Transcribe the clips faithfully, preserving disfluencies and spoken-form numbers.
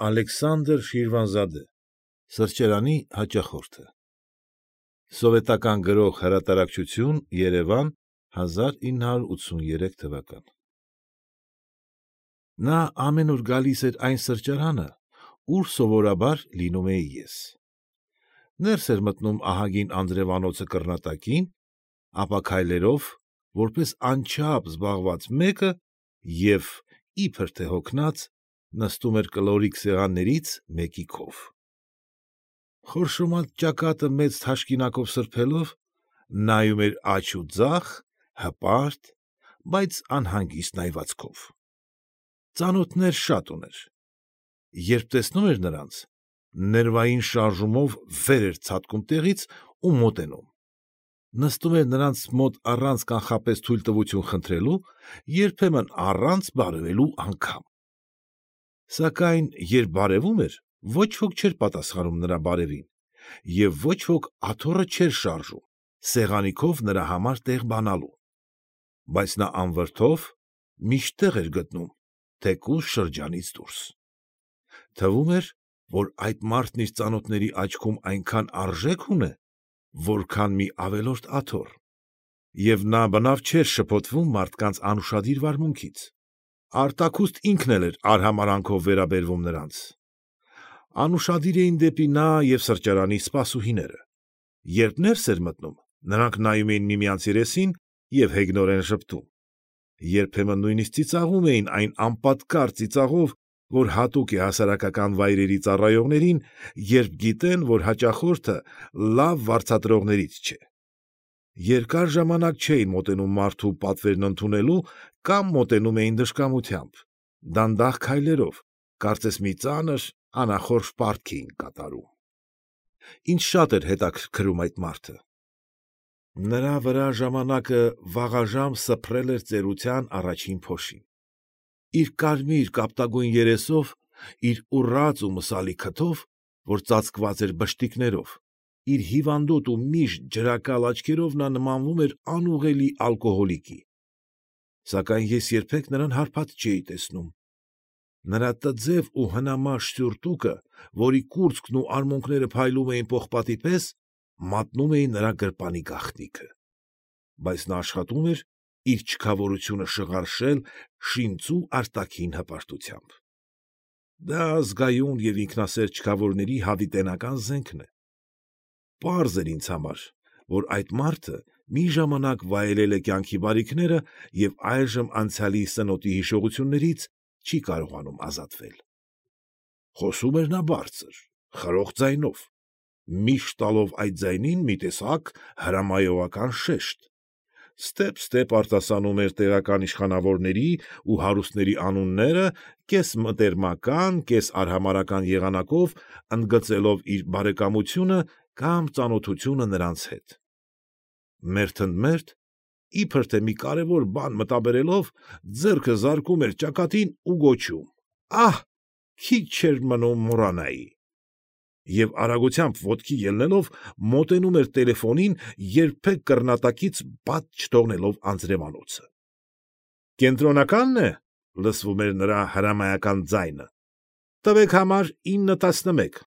Ալեքսանդր Շիրվանզադե, Սրճարանի հաճախորդը, Սովետական Գրող Հրատարակչություն, Երևան, հազար ինը հարյուր ութսունուերեք թվական։ Նա ամեն օր գալիս էր այն սրճարանը, ուր սովորաբար լինում էի ես. ներս էր մտնում ահագին անձրևանոցը կռնատակին, ապա քայլերով, որպես անչափ զբաղված մեկը և, իբր թե հոգնած, նստում էր կլորիկ սեղաններից մեկի քով։ Խորշոմած ճակատը մեծ թաշկինակով սրբելով, նայում էր աջ ու ձախ, հպարտ, բայց անհանգիստ նայվածքով։ Ծանոթներ շատ ուներ. երբ տեսնում էր նրանց, ներվային շարժումով վեր էր ցատկում տեղից ու մոտենում, նստում էր նրանց մոտ առանց կանխապես թույլտվություն խնդրելու, երբեմն առանց բարևելու անգամ։ Սակայն երբ բարևում էր, ոչ ոք չէր պատասխանում նրա բարևին, և ոչ ոք աթոռը չէր շարժում, սեղանի քով նրա համար տեղ բանալու, բայց նա անվրդով միշտ տեղ էր գտնում, թեկուզ շրջանից դուրս։ Թվում էր, որ այդ մարդն իր ծանոթների աչքում այնքան արժեք ունե, որքան մի ավելորդ աթոռ, և նա բնավ չէր շփոթվում մարդկանց անուշադիր վարմունքից, արտաքուստ ինքն էլ էր արհամարհանքով վերաբերվում նրանց։ Անուշադիր էին դեպի նա և սրճարանի սպասուհիները. երբ ներս էր մտնում, նրանք նայում էին միմյանց երեսին և հեգնորեն ժպտում, երբեմն նույնիսկ ծիծաղում էին այն անպատկառ ծիծաղով, որ հատուկ է հասարակական վայրերի ծառայողներին, երբ գիտեն, որ հաճախորդը լավ վարձատրողներից չէ։ Երկար ժամանակ չէին մոտենում մարդու պատվերն ընդունելու կամ մոտենում էին դժկամությամբ, դանդաղ քայլերով, կարծես մի ծանր, անախորժ պարտք էին կատարում։ Ինձ շատ էր հետաքրքրում այդ մարդը։ Նրա վրա ժամանակը վաղաժամ սփռել էր ծերության առաջին փոշին։ Իր կարմիր կապտագույն երեսով, իր ուռած ու մսալի քթով, որ ծածկված էր բշտիկներով, իր հիվանդոտ ու միշտ ջրակալ աչքերով նա նմանվում էր անուղղելի ալկոհոլիկի։ Սակայն ես երբեք նրան հարբած չէի տեսնում։ Նրա տձև ու հնամաշ սյուրտուկը, որի կուրծքն ու արմունկները փայլում էին պողպատի պես, մատնում էին նրա գրպանի գաղտնիքը։ Բայց նա աշխատում էր իր չքավորությունը շղարշել շինծու արտաքին հպարտությամբ։ Դա ազգայուն և ինքնասեր չքավորների հավիտենական զենքն է։ Պարզ էր ինձ համար, որ այդ մարդը մի ժամանակ վայելել է կյանքի բարիքները և այժմ անցյալի սնոտի հիշողություններից չի կարողանում ազատվել։ Խոսում էր նա բարձր, խրոխ ձայնով, միշտ տալով այդ ձայնին մի տեսակ հրամայողական շեշտ, ստեպ֊ստեպ արտասանում էր տեղական իշխանավորների ու հարուստների անունները կես֊մտերմական, կես֊արհամարհական եղանակով ընդգծելով իր բարեկամությունը կամ ծանոթությունը նրանց հետ։ Մերթընդմերթ, իբր թե մի կարևոր բան մտաբերելով, ձեռքը զարկում էր ճակատին ու գոչում. «Ահ, քիչ էր մնում մոռանայի» և արագությամբ ոտքի ելնելով մոտենում էր տելեֆոնին, երբեք կռնատակից բաց չթողնելով անձրևանոցը։ «Կենտրոնակա՞նն է», ֊ լսվում էր նրա հրամայական ձայնը։ ֊ Տվեք համար ինը տասնմեկ։ ֊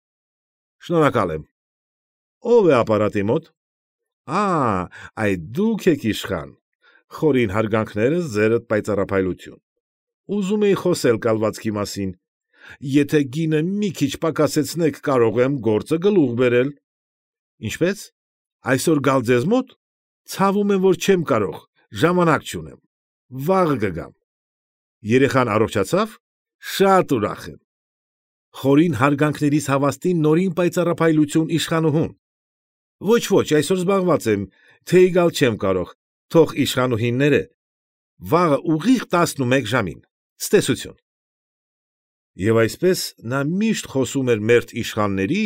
Շնորհակալ եմ։ ֊ Ո՞վ է ապարատի մոտ։ ֊ Ա՛, այդ դուք եք իշխան, խորին հարգանքներս ձերդ պայծառափայլություն։ Ուզում էի խոսել կալվածքի մասին։ Եթե գինը մի քիչ պակասեցնեք, կարող եմ գործը գլուխ բերել։ ֊ Ինչպե՞ս, այսօր գալ ձեզ մո՞տ։ ֊ Ցավում եմ, որ չեմ կարող, ժամանակ չունեմ, վաղը կգամ։ ֊ Երեխան առողջացա՞վ։ ֊ Շատ ուրախ եմ։ Խորին հարգանքներիս հավաստին նորին պայծառափայլություն իշխանուհուն։ ֊ Ոչ, ոչ, այսօր զբաղված եմ, թեյ գալ չեմ կարող, թող իշխանուհին ներե։ Վաղը ուղիղ տասնմեկ ժամին։ Ցտեսություն։ Եվ այսպես նա միշտ խոսում էր մերթ իշխանների,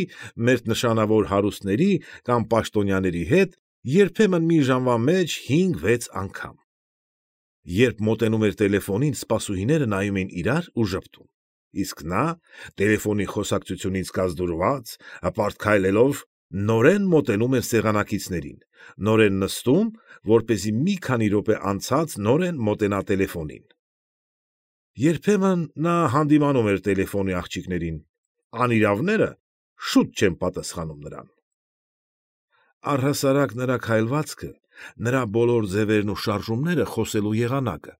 մերթ նշանավոր հարուստների կամ պաշտոնյաների հետ, երբեմն մի ժամվա մեջ հինգ֊վեց անգամ։ Երբ մոտենում էր տելեֆոնին, սպասուհիները նայում էին իրար ու ժպտում, իսկ նա, տելեֆոնի խոսակցությունից կազդուրված, հպարտ քայլելով, նորեն մոտենում էր սեղանակիցներին, նորեն նստում, որպեսզի մի քանի րոպե անցած նորեն մոտենա տելեֆոնին։ Երբեմն նա հանդիմանում էր տելեֆոնի աղջիկներին, անիրավները շուտ չեն պատասխանում նրան։ Առհասարակ նրա քայլվածքը, նրա բոլոր ձևերն ու շարժումները խոսելու եղանակը,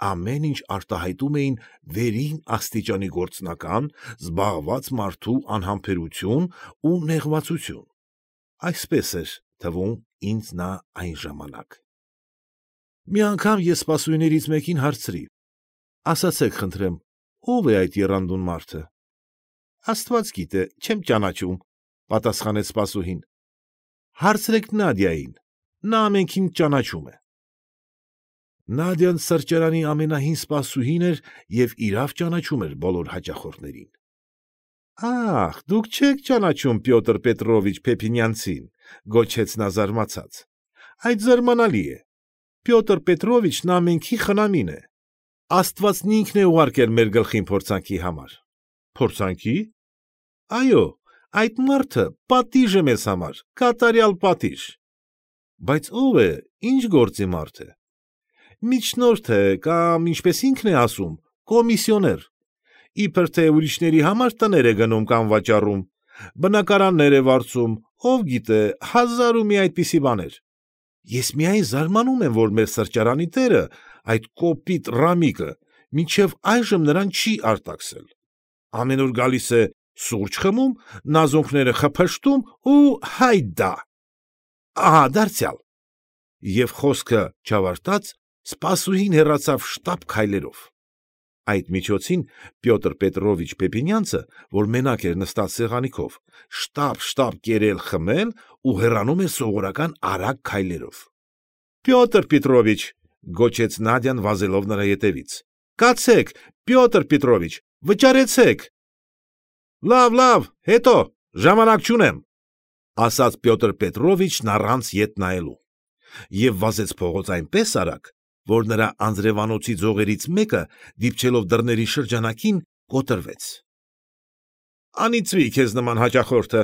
ամեն ինչ արտահայտում էին վերին աստիճանի գործնական, զբաղված մարդու անհամբերություն ու նեղվածություն։ Այսպես էր թվում ինձ նա այն ժամանակ։ Մի անգամ ես սպասուհիներից մեկին հարցրի. «Ասացեք խնդրեմ, ո՞վ է այդ եռանդուն մարդը»։ «Աստված գիտե, չեմ ճանաչում», պատասխանեց սպասուհին։ «Հարցրեք Նադյային, նա ամենքին ճանաչում է»։ Նադյան սրճարանի ամենահին սպասուհին էր և իրավ ճանաչում էր բոլոր հաճախորդներին։ «Ա՜խ, դուք չեք ճանաչում Պյոտր Պետրովիչ Փեփինյանցին», գոչեց նա զարմացած։ «Այդ զարմանալի է։ Պյոտր Պետրովիչն ամենքի խնամին է։ Աստվածն ինքն է ուղարկել մեր գլխին փորձանքի համար»։ «Փորձանքի»։ «Այո, այդ մարդը պատիժ է մեզ համար, կատարյալ պատիժ»։ «Բայց ո՞վ է, ի՞նչ գործի մարդ է»։ «Միջնորդ է կամ, ինչպես ինքն է ասում, կոմիսիոներ։ Իբր թե ուրիշների համար տներ է գնում կամ վաճառում, բնակարաններ է վարձում, ով գիտե, հազար ու մի այդպիսի բաներ։ Ես միայն զարմանում եմ, որ մեր սրճարանի տերը, այդ կոպիտ Ռամիկը, մինչև այժմ նրան չի արտաքսել։ Ամեն օր գալիս է սուրճ խմում, նազոնքները խփշտում ու հայդա։ Ահա, դարձյալ»։ Եվ խոսքը չավարտած սպասուհին հեռացավ շտապ քայլերով։ Այդ միջոցին Պյոտր Պետրովիչ Պեփինյանցը, որ մենակ էր նստած սեղանի քով, շտապ֊շտապ կերել խմել ու հեռանում էր սովորական արագ քայլերով։ «Պյոտր Պետրովիչ», գոչեց Նադյան վազելով նրա ետևից, «կացեք, Պյոտր Պետրովիչ, վճարեցեք»։ «Լավ, լավ, հետո, ժամանակ չունեմ», ասաց Պյոտր Պետրովիչն առանց ետ նայելու, և վազեց փողոց այնպես արագ, որ նրա անձրևանոցի ձողերից մեկը, դիպչելով դռների շրջանակին, կոտրվեց։ «Անիծվի քեզ նման հաճախորդը»,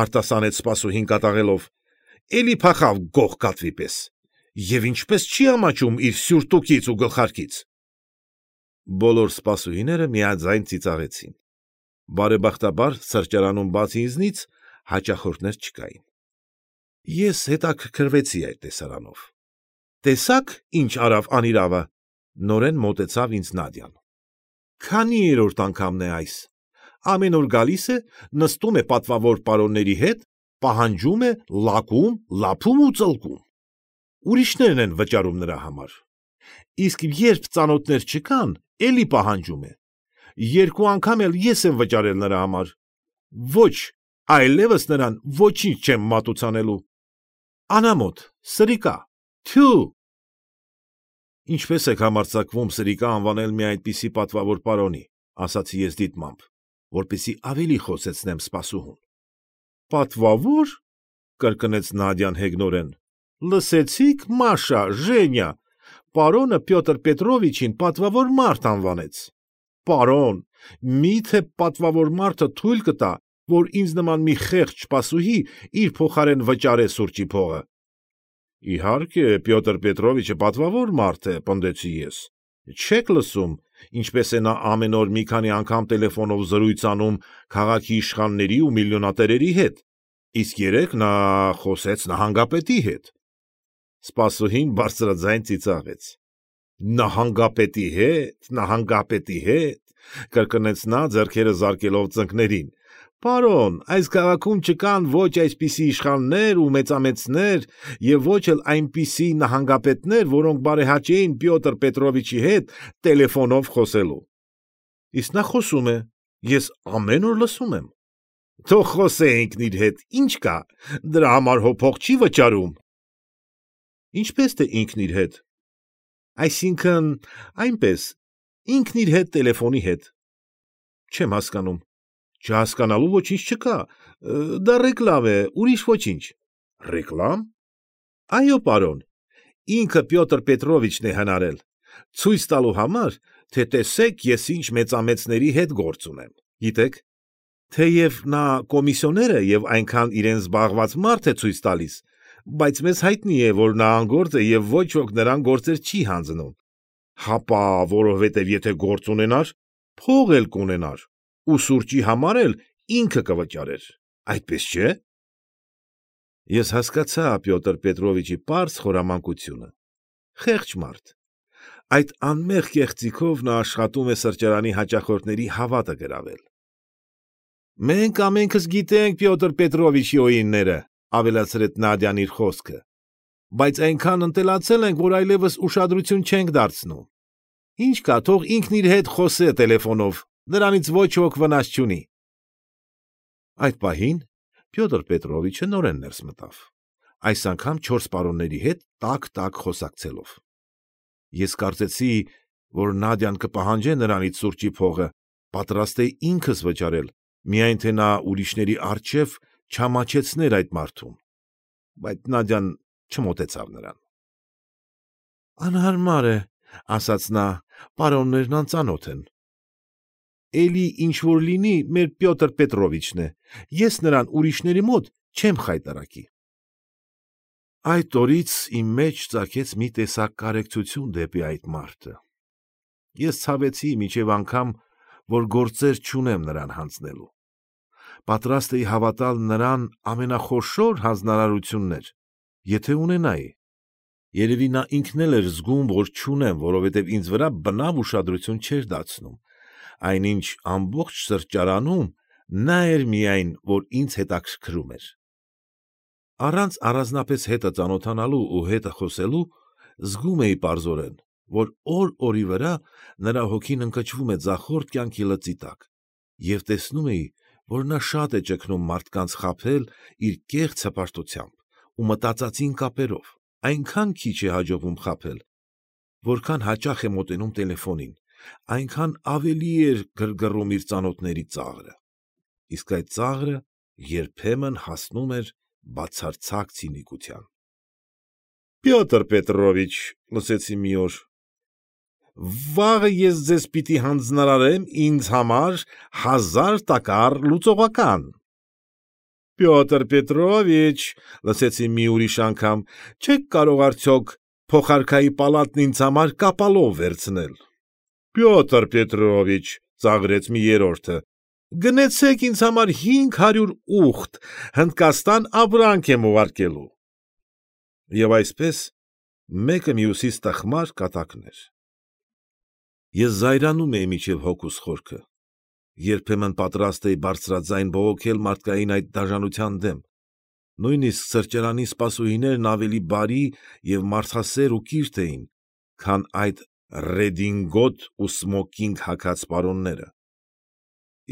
արտասանեց սպասուհին կատաղելով, «էլի փախավ գող կատվի պես, և ինչպես չի ամաչում իր սյուրտուկից ու գլխարկից»։ Բոլոր սպասուհիները միաձայն ծիծաղեցին։ Բարեբախտաբար սրճարանում բացի ինձնից հաճախորդներ չկային։ Ես հետաքրքրվեցի այդ տեսարանով։ «Տեսա՞ք, ինչ արավ անիրավը», նորեն մոտեցավ ինձ Նադյան։ «Քանի երրորդ անգամն է այս։ Ամեն օր գալիս է, նստում է պատվավոր պարոնների հետ, պահանջում է լակում, լափում ու ծլկում։ Ուրիշներն են վճարում նրա համար։ Իսկ երբ ծանոթներ չկան, էլի պահանջում է։ Երկու անգամ էլ ես եմ վճարել նրա համար։ Ոչ, այլևս նրան ոչինչ չեմ մատուցանելու։ Անամոթ, սրիկա, թյու»։ «Ինչպես եք համարձակվում սրիկա անվանել մի այդպիսի պատվավոր պարոնի», ասացի ես դիտմամբ, որպեսզի ավելի խոսեցնեմ սպասուհուն։ «Պատվավոր», կրկնեց Նադյան հեգնորեն, «լսեցի՞ք, Մաշա, Ժենյա, պարոնը Պյոտր Պետրովիչին պատվավոր մարդ անվանեց։ Պարոն, մի՞թե պատվավոր մարդը թույլ կտա, որ ինձ նման մի խեղճ սպասուհի իր փոխարեն վճարե սուրճի փողը»։ «Իհարկե, Պյոտր Պետրովիչը պատվավոր մարդ է», պնդեցի ես։ «Չեք լսում, ինչպես է նա ամեն օր մի քանի անգամ տելեֆոնով զրույց անում քաղաքի իշխանների ու միլիոնատերերի հետ, իսկ երեկ նա խոսեց նահանգապետի հետ»։ Սպասուհին բարձրաձայն ծիծաղեց։ «Նահանգապետի հետ, նահանգապետի հետ», կրկնեց նա ձեռքերը զարկելով ծնկներին։ «Պարոն, այս քաղաքում չկան ոչ այսպիսի իշխաններ ու մեծամեծներ և ոչ էլ այնպիսի նահանգապետներ, որոնք բարեհաճեին Պյոտր Պետրովիչի հետ տելեֆոնով խոսելու։ Իսկ նա խոսում է, ես ամեն օր լսում եմ։ Թող խոսե ինքն իր հետ, ինչ կա, դրա համար հո փող չի վճարում»։ «Ինչպես թե ինքն իր հետ»։ «Այսինքն, այնպես, ինքն իր հետ տելեֆոնի հետ»։ «Չեմ հասկանում»։ «Չհասկանալու ոչինչ չկա, դա ռեկլամ է, ուրիշ ոչինչ»։ «Ռեկլամ»։ «Այո, պարոն, ինքը Պյոտր Պետրովիչն է հնարել, ցույց տալու համար, թե տեսեք ես ինչ մեծամեծների հետ գործ ունեմ, գիտեք։ Թեև նա կոմիսիոներ է և այնքան իրեն զբաղված մարդ է ցույց տալիս, բայց մեզ հայտնի է, որ նա անգործ է և ոչ ոք նրան գործեր չի հանձնում։ Հապա որովհետև եթե գործ ունենար, փող էլ կունենար, ու սուրճի համար էլ ինքը կվճարեր, այդպես չէ՞։ Ես հասկացա Պյոտր Պետրովիչի պարզ խորամանկությունը։ Խեղճ մարդ։ Այդ անմեղ կեղծիքով նա աշխատում է սրճարանի հաճախորդների հավատը գրավել։ Մենք ամենքս գիտենք Պյոտր Պետրովիչի օինները, ավելացրեց Նադյան իր խոսքը, բայց այնքան ընտելացել ենք, որ այլևս ուշադրություն չենք դարձնում։ Ինչ կա, թող ինքն իր հետ խոսե տելեֆոնով, նրանից ոչ ոք վնաս չունի։ Այդ պահին Պյոտր Պետրովիչը նորեն ներս մտավ, այս անգամ չորս պարոնների հետ տաք-տաք խոսակցելով։ Ես կարծեցի, որ Նադյան կպահանջե նրանից սուրճի փողը, պատրաստ է ինքս վճարել, միայն թե նա ուրիշների առջև չամաչեցներ այդ մարդուն, բայց Նադյան չմոտեցավ նրան։ Անհարմար է, ասաց նա, պարոններն անծանոթ են։ Էլի ինչ-որ լինի, մեր Պյոտր Պետրովիչն է, ես նրան ուրիշների մոտ չեմ խայտառակի։ Այդ օրից իմ մեջ ծագեց մի տեսակ կարեկցություն դեպի այդ մարդը։ Ես ցավեցի մինչև անգամ, որ գործեր չունեմ նրան հանձնելու։ Պատրաստ էի հավատալ նրան ամենախոշոր հանձնարարություններ, եթե ունենայի։ Երևի նա ինքն էլ էր զգում, որ չունեմ, որովհետև ինձ վրա բնավ ուշադրություն չէր դարձնում, այնինչ ամբողջ սրճարանում նա էր միայն, որ ինձ հետաքրքրում էր։ Առանց առանձնապես հետը ծանոթանալու ու հետը խոսելու զգում էի պարզորեն, որ օր֊օրի վրա նրա հոգին ընկճվում է ձախորդ կյանքի լծի տակ, և տեսնում էի, որ նա շատ է ճգնում մարդկանց խաբել իր կեղծ հպարտությամբ ու մտածածին կապերով, այնքան քիչ է հաջողվում խաբել, որքան հաճախ է մոտենում տելեֆոնին, այնքան ավելի էր գրգռում իր ծանոթների ծաղրը, իսկ այդ ծաղրը երբեմն հասնում էր բացարձակ ցինիկության։ Պյոտր Պետրովիչ, լսեցի մի օր, վաղը ես ձեզ պիտի հանձնարարեմ ինձ համար հազար տակառ լուծողական։ Պյոտր Պետրովիչ, լսեցի մի ուրիշ անգամ, չեք կարող արդյոք փոխարքայի պալատն ինձ համար կապալով վերցնել։ Պյոտր Պետրովիչ, ծաղրեց մի երրորդը, գնեցեք ինձ համար հինգ հարյուր ուղտ, Հնդկաստան ապրանք եմ ուղարկելու։ Եվ այսպես մեկը մյուսից տխմար կատակներ։ Ես զայրանում էի մինչև հոգուս խորքը, երբեմն պատրաստ էի բարձրաձայն բողոքել մարդկային այդ դաժանության դեմ, նույնիսկ սրճարանի սպասուհիներն ավելի բարի և մարդասեր ու կիրթ էին, քան այդ ռեդինգոտ ու սմոքինգ հագած պարոնները։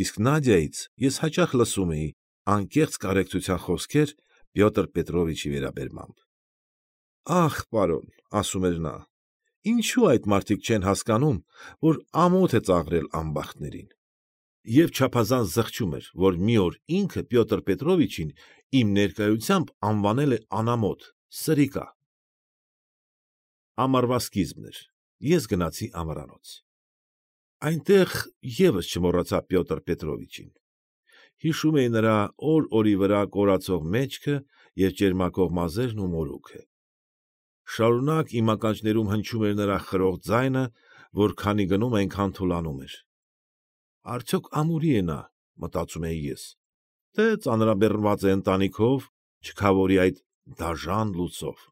Իսկ Նադյայից ես հաճախ լսում էի անկեղծ կարեկցության խոսքեր Պյոտր Պետրովիչի վերաբերմամբ։ Ախ, պարոն, ասում էր նա, ինչու այդ մարդիկ չեն հասկանում, որ ամոթ է ծաղրել անբախտներին։ Եվ չափազանց զղջում էր, որ մի օր ինքը Պյոտր Պետրովիչին իմ ներկայությամբ անվանել է անամոթ, սրիկա։ Ամառվա սկիզբն էր, ես գնացի ամառանոց։ Այնտեղ ևս չմոռացա Պյոտր Պետրովիչին։ Հիշում էի նրա օր֊օրի վրա կորացող մեջքը և ճերմակող մազերն ու մորուքը։ Շարունակ իմ ականջներում հնչում էր նրա խրող ձայնը, որ քանի գնում այնքան թուլանում էր։ Արդյոք ամուրի է նա, մտածում էի ես, թե ծանրաբեռնված է ընտանիքով, չքավորի այդ դաժան լուծով։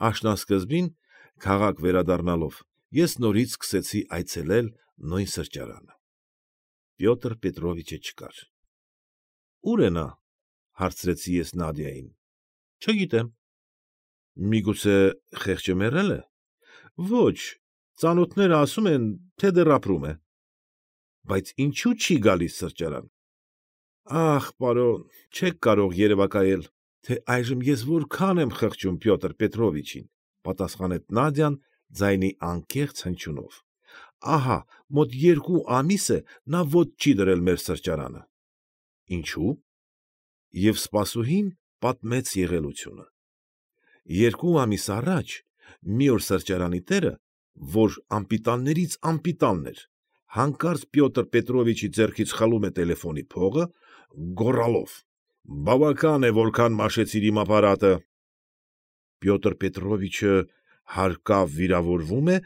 Աշնանսկզբին, քաղաք վերադառնալով, ես նորից սկսեցի այցելել նույն սրճարանը։ Պյոտր Պետրովիչը չկար։ Ո՞ւր է նա, հարցրեցի ես Նադյային։ Չգիտեմ։ Միգուցե խեղճը մեռել է։ Ոչ, ծանոթները ասում են, թե դեռ ապրում է։ Բայց ինչու չի գալիս սրճարան։ Ախ, պարոն, չեք կարող երևակայել, թե այժմ ես որքան եմ խղճում Պյոտր Պետրովիչին, պատասխանեց Նադյան ձայնի անկեղծ հնչյունով։ Ահա, մոտ երկու ամիս է նա ոտք չի դրել մեր սրճարանը։ Ինչու՞։ Եվ սպասուհին պատմեց եղելությունը։ Երկու ամիս առաջ մի օր սրճարանի տերը, որ անպիտաններից անպիտանն էր, հանկարծ Պյոտր Պետրովիչի ձեռքից խլում է տելեֆոնի փողը, գոռալով. «Բավական է, որքան մաշեցիր իմ ապարատը»։ Պյոտր Պետրովիչը հարկավ վիրավորվում է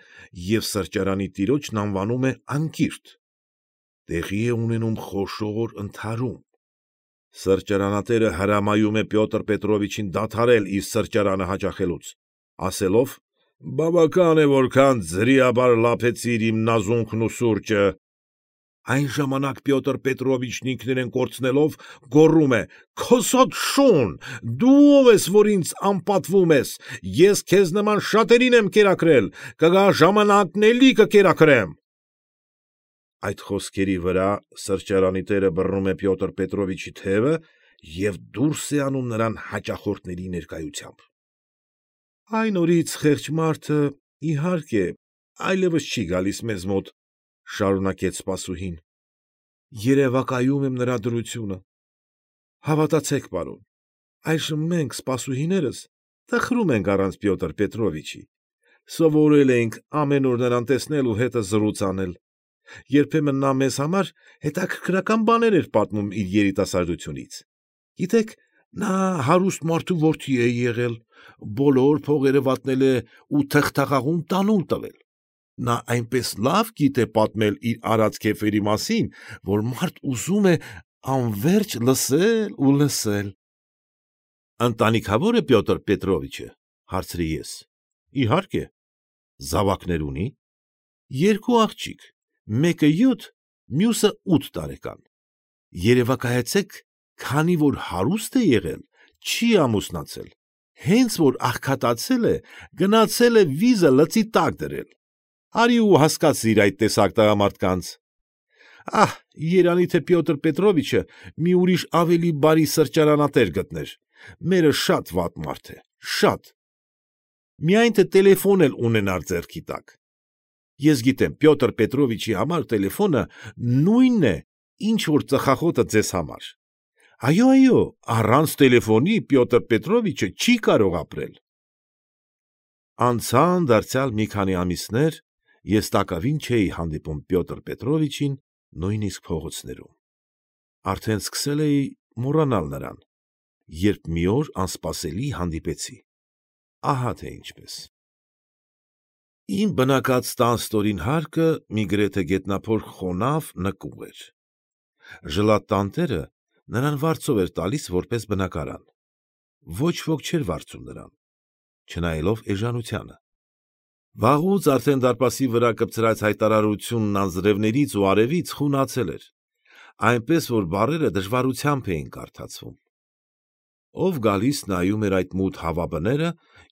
և սրճարանի տիրոջն անվանում է անկիրթ։ տեղի է ունենում խոշոր ընդհարում։ Սրճարանատերը հրամայում է Պյոտր Պետրովիչին դադարել իր սրճարանը հաճախելուց, ասելով. «Բավական է, որքան ձրիաբար լափեցիր իմ նազունքն ու սուրճը»։ Այն ժամանակ Պյոտր Պետրովիչն ինքնուրույն կորցնելով գոռում է. «Քոսոտ շուն, դու ով ես, որ ինձ անպատվում ես, ես քեզ նման շատերին եմ կերակրել, կգա ժամանակն էլի կկերակրեմ»։ Այդ խոսքերի վրա սրճարանի տերը բռնում է Պյոտր Պետրովիչի թևը և դուրս է անում նրան հաճախորդների ներկայությամբ։ Այն օրից խեղճ մարդը, իհարկե, այլևս չի գալիս մեզ մոտ, շարունակեց սպասուհին, երևակայում եմ նրա դրությունը։ Հավատացեք, պարոն, այժմ մենք, սպասուհիներս, տխրում ենք առանց Պյոտր Պետրովիչի, սովորել ենք ամեն օր նրան տեսնել ու հետը զրույց անել, երբեմն նա մեզ համար հետաքրքրական բաներ էր պատմում իր երիտասարդությունից։ Գիտեք, նա հարուստ մարդու որդի է եղել, բոլոր փողերը վատնել է ու թղթաղաղում տանուլ տվել։ Նա այնպես լավ գիտե պատմել իր արած քեֆերի մասին, որ մարդ ուզում է անվերջ լսել ու լսել։ Ընտանիքավո՞ր է Պյոտր Պետրովիչը, հարցրի ես։ Իհարկե։ Զավակներ ունի։ Երկու աղջիկ, մեկը յոթ, մյուսը ութ տարեկան։ Երևակայեցեք, քանի որ հարուստ է եղել, չի ամուսնացել, հենց որ աղքատացել է, գնացել է վիզը լծի տակ դրել։ Արի ու հասկացիր այդ տեսակ տղամարդկանց։ Ահ, երանի թե Պյոտր Պետրովիչը մի ուրիշ ավելի բարի սրճարանատեր գտներ, մերը շատ վատ մարդ է, շատ։ Միայն թե տելեֆոն էլ ունենար ձեռքի տակ։ Ես գիտեմ, Պյոտր Պետրովիչի համար տելեֆոնը նույնն է, ինչ որ ծխախոտը ձեզ համար։ Այո, այո, առանց տելեֆոնի Պյոտր Պետրովիչը չի կարող ապրել։ Անցան դարձյալ մի քանի ամիսներ, ես տակավին չէի հանդիպում Պյոտր Պետրովիչին նույնիսկ փողոցներում։ Արդեն սկսել էի մոռանալ նրան, երբ մի օր անսպասելի հանդիպեցի։ Ահա թե ինչպես։ Իմ բնակած տան ստորին հարկը մի գրեթե գետնափոր խոնավ նկուղ էր։ Ժլատ֊տանտերը նրան վարձով էր տալիս որպես բնակարան։ Ոչ ոք չէր վարձում նրան, չնայելով էժանությանը։ Վաղուց արդեն դարպասի վրա կպցրած հայտարարությունն անձրևներից ու արևից խունացել էր, այնպես որ բառերը դժվարությամբ էին կարդացվում։ Ով գալիս նայում էր այդ մութ հավաբները,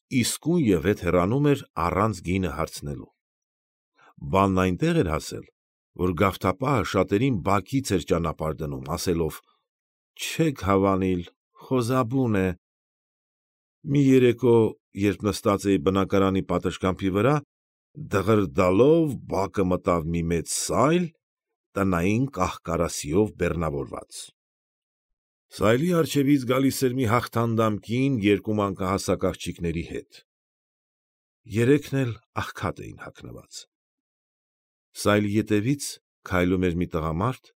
իսկույն և հետ հեռանում էր առանց գինը հարցնելու։ Բանն այնտեղ էր հասել, որ գավթապահը շատերին բակից էր ճանապարհ դնում, ասելով. «Չեք հավանիլ, խոզաբուն է»։ Մի երեկո, երբ նստած էի բնակարանի պատշգամբի վրա, դղրդալով բակը մտավ մի մեծ սայլ, տնային կահ֊կարասիով բեռնավորված։ Սայլի առջևից գալիս էր մի հաղթանդամ կին երկու մանկահասակ աղջիկների հետ։ Երեքն էլ աղքատ էին հագնված։ Սայլի ետևից քայլում էր մի տղամարդ,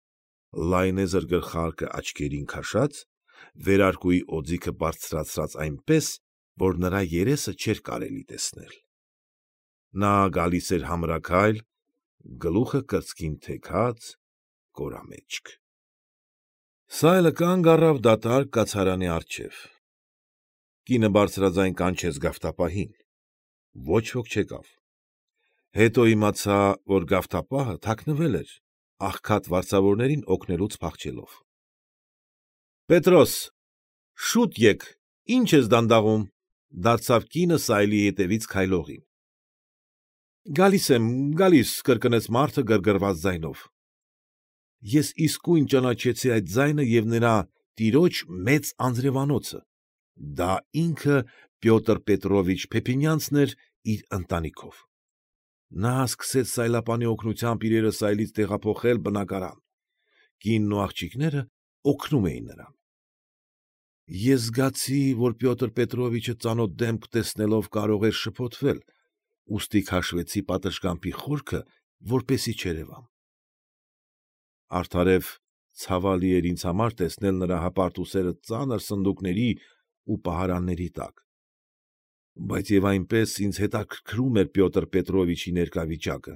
լայնեզր գլխարկը աչքերին քաշած, վերարկուի օձիքը բարձրացրած այնպես, որ նրա երեսը չէր կարելի տեսնել։ Նա գալիս էր համրաքայլ, գլուխը կրծքին թեքած, կորամեջք։ Սայլը կանգ առավ դատարկ կացարանի առջև։ Կինը բարձրաձայն կանչեց գավթապահին։ Ոչ ոք չեկավ։ Հետո իմացա, որ գավթապահը թաքնվել էր, աղքատ վարձավորներին օգնելուց փախչելով։ Պետրոս, շուտ եկ, ի՞նչ ես դանդաղում, դարձավ կինը սայլի ետևից քայլողին։ Գալիս եմ, գալիս, կրկնեց մարդը գրգռված ձայնով։ Ես իսկույն ճանաչեցի այդ ձայնը և նրա տիրոջ մեծ անձրևանոցը։ Դա ինքը Պյոտր Պետրովիչ Փեփինյանցն էր իր ընտանիքով։ Նա սկսեց սայլապանի օգնությամբ իրերը սայլից տեղափոխել բնակարան։ Կինն ու աղջիկները օգնում էին նրան։ Ես զգացի, որ Պյոտր Պետրովիչը ծանոթ դեմք տեսնելով կարող էր շփոթվել, ուստի քաշվեցի պատշգամբի խորքը, որպեսզի չերևամ։ Արդարև ցավալի էր ինձ համար տեսնել նրա հպարտ ուսերը ծանր սնդուկների ու պահարանների տակ։ Բայց և այնպես ինձ հետաքրքրում էր Պյոտր Պետրովիչի ներկա վիճակը,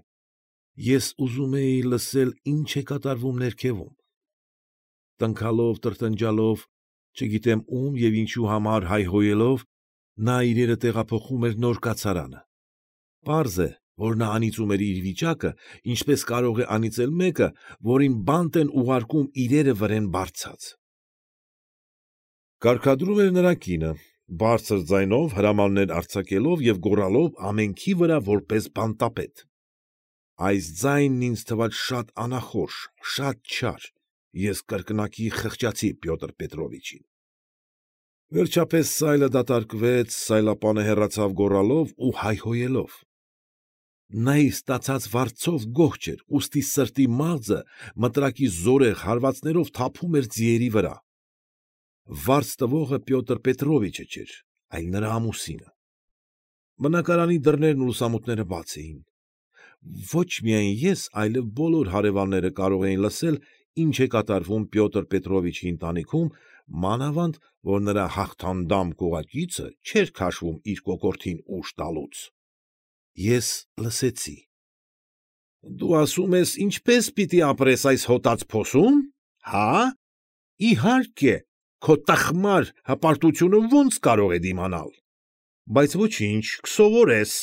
Ես ուզում էի լսել ինչ է կատարվում ներքևում։ Տնքալով, տրտնջալով, չգիտեմ ում և ինչու համար հայհոյելով, նա իրերը տեղափոխում էր նոր կացարանը։ Պարզ է, որ նա անիծում էր իր վիճակը, ինչպես կարող է անիծել մեկը, որին բանտ են ուղարկում իրերը վրեն բարձած։ Կարգադրում էր նրա կինը, բարձր ձայնով հրամաններ արձակելով և գոռալով ամենքի վրա որպես բանտապետ։ Այս ձայնն ինձ թվաց շատ անախորժ, շատ չար, ես կրկնակի խղճացի Պյոտր Պետրովիչին։ Վերջապես սայլը դատարկվեց, սայլապանը հեռացավ գոռալով ու հայհոյելով։ Նա իր ստացած վարձով գոհ չէր, ուստի սրտի մաղձը մտրակի զորեղ հարվածներով թափում էր ձիերի վրա։ Վարձ տվողը Պյոտր Պետրովիչը չէր, այլ նրա ամուսինը։ Բնակարանի դռներն ու լուսամուտները բաց էին։ Ոչ միայն ես, այլև բոլոր հարևանները կարող էին լսել, ինչ է կատարվում Պյոտր Պետրովիչի ընտանիքում, մանավանդ, որ նրա հաղթանդամ կողակիցը չէր քաշվում իր կոկորդին ուժ տալուց։ Ես լսեցի։ ֊ Դու ասում ես ինչպե՞ս պիտի ապրես այս հոտած փոսում, հա՞։ Իհարկե, քո տխմար հպարտությունը ո՞նց կարող է դիմանալ։ Բայց ոչինչ, կսովորես։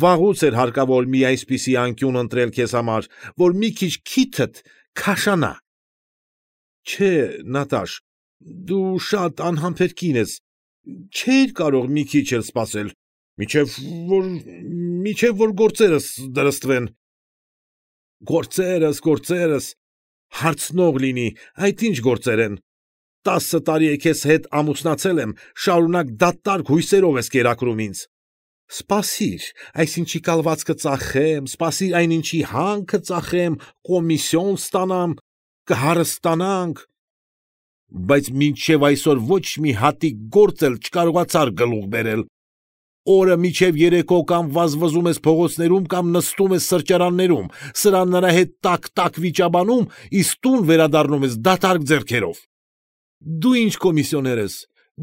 Վաղուց էր հարկավոր մի այսպիսի անկյուն ընտրել քեզ համար, որ մի քիչ քիթդ քաշանա։ Չէ, Նատաշ, դու շատ անհամբեր կին ես, չէիր կարող մի քիչ էլ սպասել, մինչև որ, մինչև որ գործերս դրստվեն։ Գործերս, գործերս, հարցնող լինի, այդ ինչ գործեր են։ Տասը տարի է քեզ հետ ամուսնացել եմ, շարունակ դատարկ հույսերով ես կերակրում ինձ։ Սպասիր, այսինչի կալվածքը ծախեմ, սպասիր այնինչի հանքը ծախեմ, կոմիսիոն ստանամ, կհարստանանք։ Բայց մինչև այսօր ոչ մի հատիկ գործ էլ չկարողացար գլուխ բերել։ Օրը մինչև երեկո կամ վազվզում ես փողոցներում կամ նստում ես սրճարաններում, սրանների հետ տակ֊տակ վիճաբանում, իսկ տուն վերադառնում ես դատարկ ձեռքերով։ Դու ինչ կոմիսիոներ ես,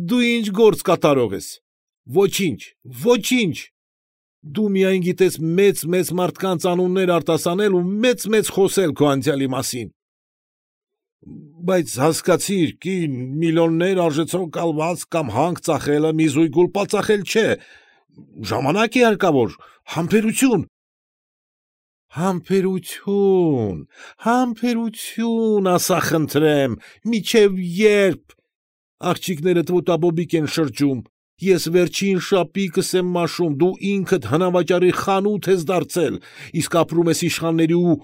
դու ինչ գործ կատարող ես։ Ոչինչ, ոչինչ։ Դու միայն գիտես մեծ֊մեծ մարդկանց անուններ արտասանել ու մեծ֊մեծ խոսել քո անցյալի մասին։ Բայց հասկացիր, կին, միլիոններ արժեցող կալվածք կամ հանք ծախելը մի զույգ գուլպա ծախել չէ, ժամանակ է հարկավոր, համբերություն։ Համբերություն, համբերություն, ասա խնդրեմ, մինչև ե՞րբ։ Աղջիկներդ ոտաբոբիկ են շրջում, ես վերջին շապիկս եմ մաշում, դու ինքդ հնավաճառի խանութ ես դարձել, իսկ ապրում ես իշխանների ու,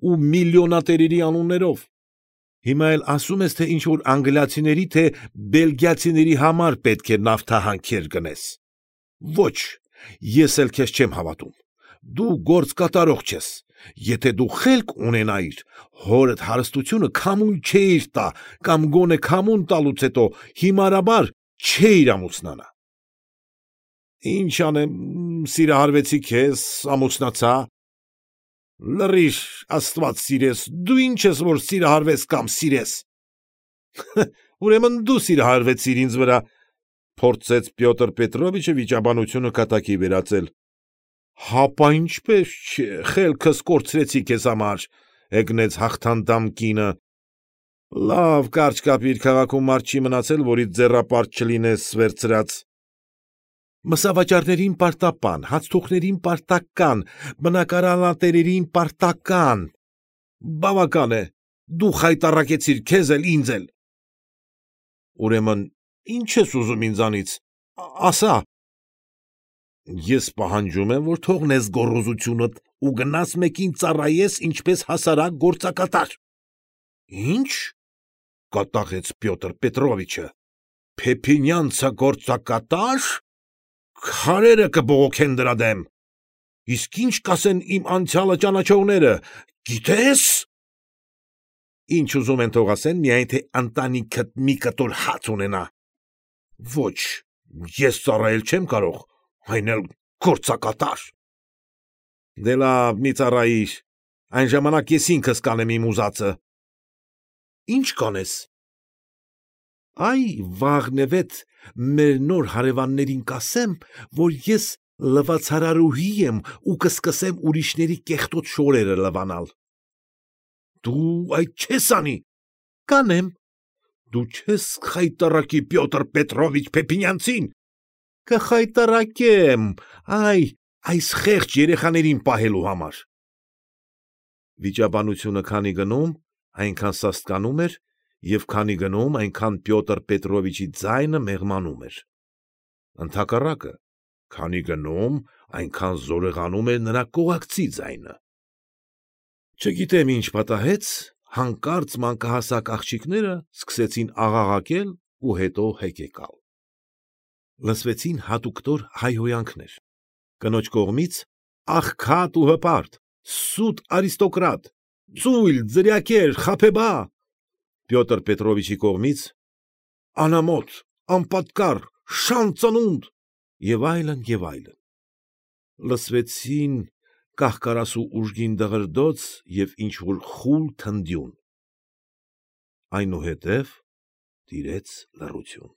ու միլիոնատերերի անուններով։ Հիմա էլ ասում ես, թե ինչ֊որ անգլիացիների, թե բելգիացիների համար պետք է նավթահանքեր գնես։ Ոչ, ես էլ քեզ չեմ հավատում։ Դու գործ կատարող չես։ Եթե դու խելք ունենայիր, հորդ հարստությունը քամուն չէիր տա, կամ գոնե քամուն տալուց հետո հիմարաբար չէիր ամուսնանա։ Ինչ անեմ, սիրահարվեցի քեզ, ամուսնացա։ Լռիր, Աստված սիրես, դու ինչ ես, որ սիրահարվես կամ սիրես։ Ուրեմն դու սիրահարվեցիր ինձ վրա, փորձեց Պյոտր Պետրովիչը վիճաբանությունը կատակի վերածել։ Հապա ինչպես չէ, խելքս կորցրեցի քեզ համար, հեգնեց հաղթանդամ կինը։ Լավ, կարճ կապիր, քաղաքում մարդ չի մնացել, որից ձեռապարտ չլինես վերցրած։ Մսավաճառներին պարտապան, հացթուխներին պարտական, բնակարանատերերին պարտական։ Բավական է, դու խայտառակեցիր քեզ էլ, ինձ էլ։ Ուրեմն, ինչ ես ուզում ինձանից, ասա։ Ես պահանջում եմ, որ թողնես գոռոզությունդ ու գնաս մեկին ծառայես ինչպես հասարակ գործակատար։ Ինչ, կատաղեց Պյոտր Պետրովիչը, Փեփինյանցը գործակատար։ Քարերը կբողոքեն դրա դեմ։ Իսկ ինչ կասեն իմ անցյալը ճանաչողները, գիտե՞ս։ Ինչ ուզում են թող ասեն, միայն թե ընտանիքդ մի կտոր հաց ունենա։ Ոչ, ես ծառայել չեմ կարող, այն էլ գործակատար։ Դե լավ, մի ծառայիր, այն ժամանակ ես ինքս կանեմ իմ ուզածը։ Ինչ կանես։ Այ վաղնևեթ մեր նոր հարևաններին կասեմ, որ ես լվացարարուհի եմ ու կսկսեմ ուրիշների կեղտոտ շորերը լվանալ։ Դու այդ չես անի։ Կանեմ։ Դու չես խայտառակի Պյոտր Պետրովիչ Փեփինյանցին։ Կխայտառակեմ, այ, այս խեղճ երեխաներին պահելու համար։ Վիճաբանությունը քանի գնում, այնքան սաստկանում էր, և քանի գնում, այնքան Պյոտր Պետրովիչի ձայնը մեղմանում էր։ Ընդհակառակը, քանի գնում, այնքան զորեղանում էր նրա կողակցի ձայնը։ Չգիտեմ ինչ պատահեց, հանկարծ մանկահասակ աղջիկները սկսեցին աղաղակել ու հետո հեկեկալ։ Լսվեցին հատուկտոր հայհոյանքներ։ Կնոջ կողմից՝ աղքատ ու հպարտ, սուտ արիստոկրատ, ծույլ, ձրիակեր, խաբեբա։ Պյոտր Պետրովիչի կողմից՝ անամոթ, անպատկառ, շան ծնունդ և այլն, և այլն։ Լսվեցին կահ֊կարասու ուժգին դղրդոց և ինչ֊որ խուլ թնդյուն։ Այնուհետև տիրեց լռություն։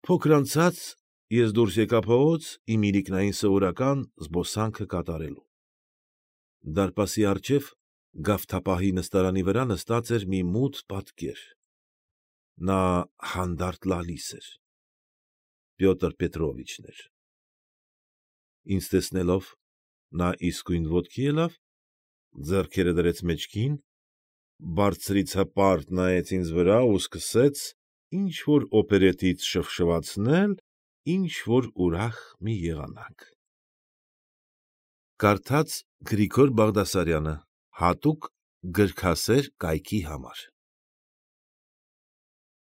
Փոքր անցած ես դուրս եկա փողոց իմ իրիկնային սովորական զբոսանքը կատարելու։ Դարպասի առջև գավթապահի նստարանի վրա նստած էր մի մութ պատկեր։ Նա հանդարտ լալիս էր։ Պյոտր Պետրովիչն էր։ Ինձ տեսնելով, նա իսկույն ոտքի ելավ, ձեռքերը դրեց մեջքին, բարձրից հպարտ նայեց ինձ վրա ու սկսեց ինչ֊որ օպերետից շվշվացնել ինչ֊որ ուրախ մի եղանակ։ Կարդաց Գրիգոր Բաղդասարյանը հատուկ գրքասեր կայքի համար։